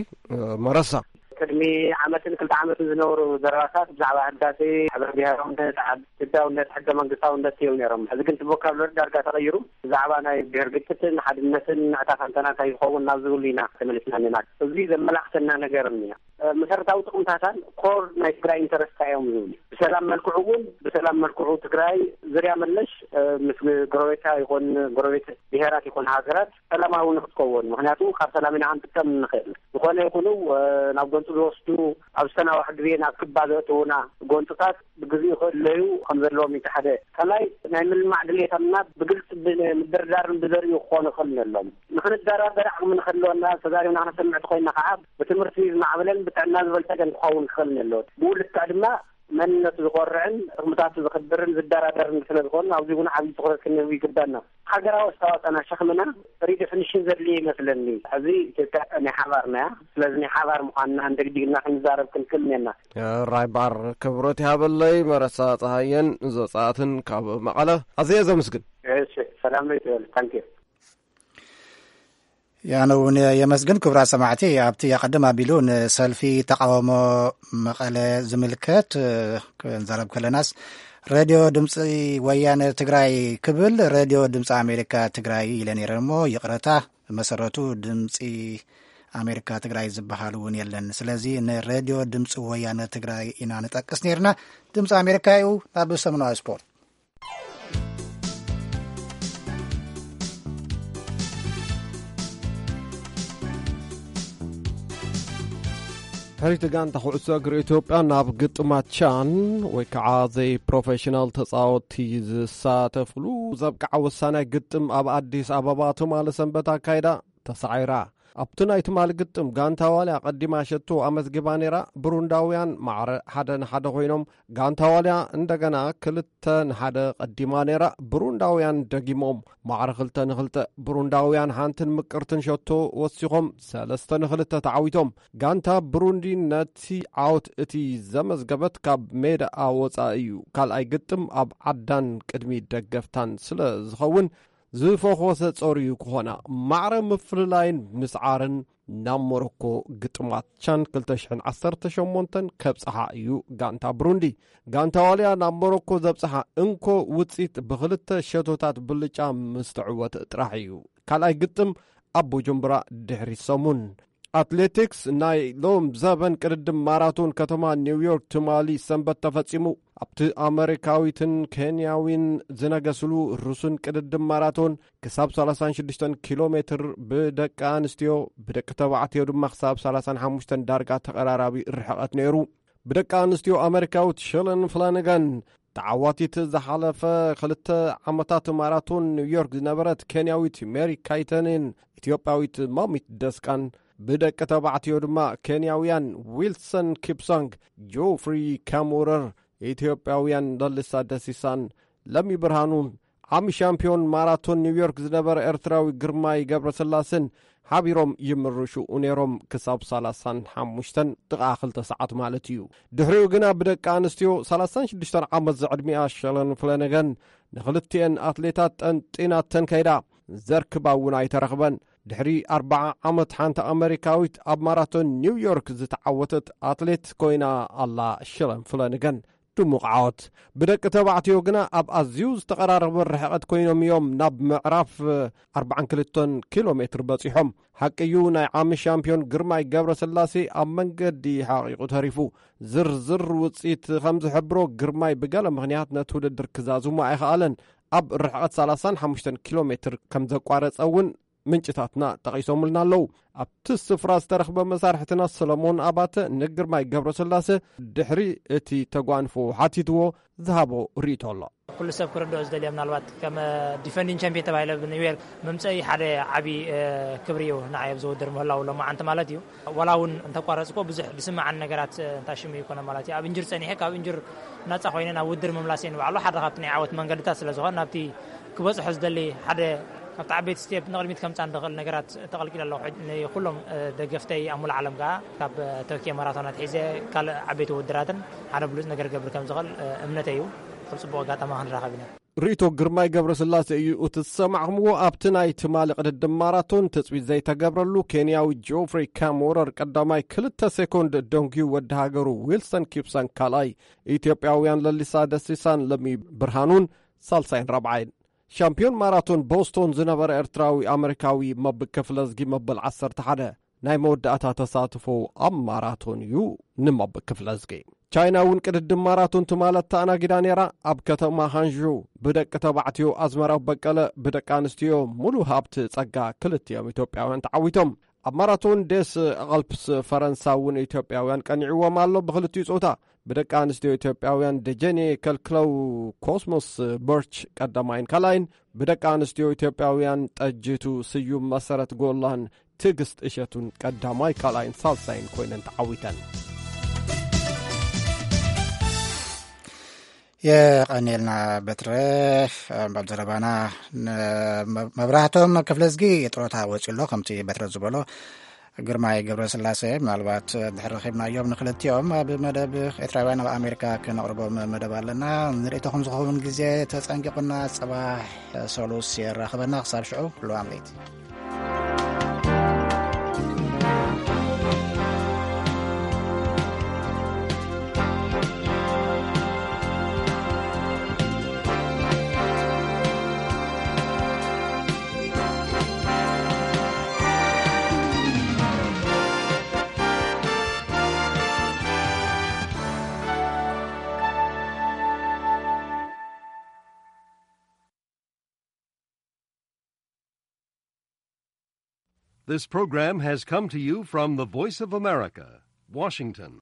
መረሳ። ቅድሚ ዓመትን ክልተ ዓመትን ዝነበሩ ዘረባታት ብዛዕባ ህዳሴ፣ ሕብረ ብሔራውነት፣ ዓዲ ኢትዮጵያውነት፣ ሕገ መንግስታውነት እዮም ነይሮም። ሕዚ ግን እቲ ቮካብለሪ ዳርጋ ተቐይሩ፣ ብዛዕባ ናይ ብሔር ግጭትን ሓድነትን ንዕታ ፈንታና እንታይ ይኸውን ናብ ዝብሉ ኢና ተመሊስና ኣለና። እዚ ዘመላኽተና ነገር እኒኣ። መሰረታዊ ጥቕምታታን ኮር ናይ ትግራይ ኢንተረስታ እዮም ዝብሉ። ብሰላም መልክዑ እውን፣ ብሰላም መልክዑ ትግራይ ዝርያ መለሽ፣ እ፣ ምስ ጎረቤታ ይኹን ጎረቤት ብሔራት ይኹን ሃገራት ሰላማዊ ንክትከውን። ምኽንያቱ ካብ ሰላም ኢና ክንጥቀም ንኽእል። ዝኾነ ይኹኑ፣ እ፣ ናብ ጎንፂ ዝወስዱ፣ ኣብ ዝተናውሐ ግዜ ናብ ክባ ዘእትዉና ጎንፅታት ብግዜኡ ክእለዩ ከም ዘለዎም እዩ እቲ ሓደ። ካልኣይ ናይ ምልማዕ ድሌታትና ብግልፂ ብ-፣ ምድርዳርን ብዘርእዩ ክኾኑ ይኽእል ኣለዎም። ንኽንደራደር ዓቕሚ ንኽህልወና፣ ተዛሪብና ክነሰምዕ ተኾይንና ከዓ ብትምህርቲ ዝማዕበለን ብጥዕና ዝበልጸገን ክኸውን ክኽእል ኣለዎ። ብኡ ልክዕ ድማ መንነቱ ዝኮርዕን ጥቕምታቱ ዝኽብርን ዝደራደርን ስለ ዝኾኑ ኣብዚ እውን ዓብዪ ትኹረት ክንህብ ይግባና። ሃገራዊ ኣስተዋፅኦና ሸኽምና ሪደፊኒሽን ዘድልዮ ይመስለኒ። ሕዚ ኢትዮጵያ ናይ ሓባርና እያ። ስለዚ ናይ ሓባር ምዃንና እንደግዲግና ክንዛረብ ክንክእል እኒአና። ራይ ባር ክብረት ይሃበለይ። መረሳ ፀሃየን ዘፃትን ካብ መቐለ ኣዝየ ዘመስግን። እሺ፣ ሰላም ነው ይበል። ታንኪዩ። ያነ እውን የመስግን። ክቡራት ሰማዕቲ፣ ኣብቲ ኣቐድም ኣቢሉ ንሰልፊ ተቃውሞ መቐለ ዝምልከት፣ እ፣ ክንዛረብ ከለናስ፣ ሬድዮ ድምፂ ወያነ ትግራይ ክብል ሬድዮ ድምፂ ኣሜሪካ ትግራይ ኢለ ነይረ እሞ፣ ይቕረታ፣ መሰረቱ ድምፂ ኣሜሪካ ትግራይ ዝበሃል እውን የለን። ስለዚ ንሬድዮ ድምፂ ወያነ ትግራይ ኢና ንጠቅስ ነይርና። ድምፂ ኣሜሪካ እዩ። ናብ ሰሙናዊ ስፖርት። ሕሪቲ ጋንታ ኩዕሶ እግሪ ኢትዮጵያ ናብ ግጥማት ቻን ወይ ከዓ ዘይ ፕሮፌሽናል ተፃወትቲ ዝሳተፍሉ ዘብቅዓ ወሳናይ ግጥም ኣብ ኣዲስ ኣበባ ትማሊ ሰንበት ኣካይዳ ተሳዒራ። ኣብቲ ናይ ትማሊ ግጥም ጋንታ ዋልያ ቀዲማ ሸቶ ኣመዝጊባ ነይራ። ብሩንዳውያን ማዕረ ሓደ ንሓደ ኮይኖም፣ ጋንታ ዋልያ እንደገና ክልተ ንሓደ ቀዲማ ነይራ። ብሩንዳውያን ደጊሞም ማዕረ ክልተ ንክልተ። ብሩንዳውያን ሓንትን ምቅርትን ሸቶ ወሲኾም ሰለስተ ንክልተ ተዓዊቶም። ጋንታ ብሩንዲ ነቲ ዓወት እቲ ዘመዝገበት ካብ ሜዳኣ ወጻኢ እዩ። ካልኣይ ግጥም ኣብ ዓዳን ቅድሚ ደገፍታን ስለ ዝኸውን ዝፈኾሰ ጸርዩ ክኾና፣ ማዕረ ምፍልላይን ምስዓርን ናብ ሞሮኮ ግጥማት ቻን ክልተ ሽሕን ዓሰርተ ሸሞንተን ከብጽሓ እዩ። ጋንታ ብሩንዲ፣ ጋንታ ዋልያ ናብ ሞሮኮ ዘብጽሓ እንኮ ውጽኢት ብኽልተ ሸቶታት ብልጫ ምስ ተዕወተ ጥራሕ እዩ። ካልኣይ ግጥም ኣብ ቡጁምብራ ድሕሪ ሰሙን። ኣትሌቲክስ፣ ናይ ሎም ዘበን ቅድድም ማራቶን ከተማ ኒውዮርክ ትማሊ ሰንበት ተፈጺሙ። ኣብቲ ኣመሪካዊትን ኬንያዊን ዝነገስሉ ርሱን ቅድድም ማራቶን ክሳብ ሰላሳን ሽዱሽተን ኪሎ ሜትር ብደቂ ኣንስትዮ፣ ብደቂ ተባዕትዮ ድማ ክሳብ ሰላሳን ሓሙሽተን ዳርጋ ተቐራራቢ ርሕቐት ነይሩ። ብደቂ ኣንስትዮ ኣመሪካዊት ሸለን ፍላነጋን ተዓዋቲት ዝሓለፈ ክልተ ዓመታት ማራቶን ኒውዮርክ ዝነበረት ኬንያዊት ሜሪ ካይተንን ኢትዮጵያዊት ማሚት ደስቃን፣ ብደቂ ተባዕትዮ ድማ ኬንያውያን ዊልሰን ኪፕሳንግ፣ ጆፍሪ ካሙረር፣ ኢትዮጵያውያን ለልሳ ደሲሳን ለሚ ብርሃኑን፣ ዓሚ ሻምፒዮን ማራቶን ኒውዮርክ ዝነበረ ኤርትራዊ ግርማይ ገብረስላሴን ሓቢሮም ይምርሹ ነይሮም ክሳብ ሰላሳን ሓሙሽተን ጥቓ ክልተ ሰዓት ማለት እዩ። ድሕሪኡ ግና ብደቂ ኣንስትዮ ሰላሳን ሽዱሽተን ዓመት ዝዕድሚኣ ሸለን ፍለነገን ንኽልቲኤን ኣትሌታት ጠንጢናተን ከይዳ፣ ዘርክባ እውን ኣይተረኽበን። ድሕሪ ኣርብዓ ዓመት ሓንቲ ኣመሪካዊት ኣብ ማራቶን ኒውዮርክ ዝተዓወተት ኣትሌት ኮይና ኣላ ሸለን ፍለነገን። ድሙቕ ዓወት። ብደቂ ተባዕትዮ ግና ኣብ ኣዝዩ ዝተቐራረበ ርሕቐት ኮይኖም እዮም ናብ ምዕራፍ ኣርባዓን ክልተን ኪሎ ሜትር በጺሖም። ሓቂ እዩ፣ ናይ ዓሚ ሻምፒዮን ግርማይ ገብረስላሴ ኣብ መንገዲ ሓቒቑ ተሪፉ። ዝርዝር ውጽኢት ከም ዝሕብሮ፣ ግርማይ ብገለ ምኽንያት ነቲ ውድድር ክዛዝሞ ኣይኸኣለን። ኣብ ርሕቐት ሰላሳን ሓሙሽተን ኪሎ ሜትር ከም ዘቋረጸ እውን ምንጭታትና ጠቒሶምልና ኣለዉ። ኣብቲ ስፍራ ዝተረኽበ መሳርሕትና ሰለሞን ኣባተ ንግርማይ ገብረስላሴ ድሕሪ እቲ ተጓንፎ ሓቲትዎ ዝሃቦ ርእይቶ ኣሎ። ኩሉ ሰብ ክርድኦ ዝደልዮ፣ ምናልባት ከም ዲፈንዲንግ ቻምፒዮን ተባሂለ ብኒውዮርክ መምፀኢ ሓደ ዓቢ ክብሪ እዩ ንዓይ ኣብዚ ውድድር ምህላው ሎማዓንቲ ማለት እዩ። ዋላ እውን እንተቋረፅኮ ብዙሕ ዝስምዓኒ ነገራት እንታሽሙ ይኮነ ማለት እዩ። ኣብ እንጅር ፀኒሐ ካብ እንጅር ናፃ ኮይነ ናብ ውድድር ምምላስ እየ ንባዕሉ ሓደ ካብቲ ናይ ዓወት መንገድታት ስለ ዝኾነ ናብቲ ክበፅሖ ዝደሊ ሓደ ካብቲ ዓበይቲ ስቴፕ ንቕድሚት ከምፃ ንኽእል ነገራት ተቐልቂለ ኣለኹ። ንኩሎም ደገፍተይ ኣብ ሙሉእ ዓለም ከዓ ካብ ቶኪዮ ማራቶን ኣትሒዘ ካልእ ዓበይቲ ውድድራትን ሓደ ብሉፅ ነገር ገብር ከም ዝኽእል እምነተይ እዩ። ከም ፅቡቕ ኣጋጣሚ ክንራኸብ ኢና። ርእይቶ ግርማይ ገብረስላሴ እዩ እቲ ዝሰማዕኹምዎ። ኣብቲ ናይ ትማሊ ቅድድም ማራቶን ትጽቢት ዘይተገብረሉ ኬንያዊ ጆፍሪ ካምወረር ቀዳማይ ክልተ ሴኮንድ ደንጉዩ ወዲ ሃገሩ ዊልሰን ኪፕሳን ካልኣይ፣ ኢትዮጵያውያን ለሊሳ ደሲሳን ለሚ ብርሃኑን ሳልሳይን ራብዓይን። ሻምፒዮን ማራቶን ቦስቶን ዝነበረ ኤርትራዊ ኣመሪካዊ መብክ ክፍለዝጊ መበል ዓሰርተ ሓደ ናይ መወዳእታ ተሳትፎ ኣብ ማራቶን እዩ። ንመብክ ክፍለዝጊ ቻይና እውን ቅድድም ማራቶን ትማሊ ኣተኣናጊዳ ነይራ። ኣብ ከተማ ሃንሹ ብደቂ ተባዕትዮ ኣዝመራው በቀለ፣ ብደቂ ኣንስትዮ ሙሉ ሃብቲ ጸጋ ክልቲኦም ኢትዮጵያውያን ተዓዊቶም። ኣብ ማራቶን ዴስ ኣልፕስ ፈረንሳ እውን ኢትዮጵያውያን ቀኒዕዎም ኣሎ። ብክልቲኡ ጾታ ብደቂ ኣንስትዮ ኢትዮጵያውያን ደጀኔ ከልክለው ኮስሞስ በርች ቀዳማይን ካልኣይን፣ ብደቂ ኣንስትዮ ኢትዮጵያውያን ጠጅቱ ስዩም፣ መሰረት ጎላን ትዕግስት እሸቱን ቀዳማይ ካልኣይን ሳልሳይን ኮይነን ተዓዊተን። የቐኔልና በትረ። ኣብ ዘረባና መብራህቶም ክፍለዝጊ ጥሮታ ወፂኡ ኣሎ። ከምቲ በትረ ዝበሎ ግርማይ ገብረስላሴ ምናልባት ድሕሪ ረኺብናዮም ንክልቲኦም ኣብ መደብ ኤርትራውያን ኣብ ኣሜሪካ ክነቕርቦም መደብ ኣለና። ንርእይቶኹም ዝኸውን ግዜ ተጸንቂቑና። ጽባሕ ሰሉስ የራኽበና። ክሳብ ሽዑ ልዋም ለይቲ። This program has come to you from the Voice of America, Washington.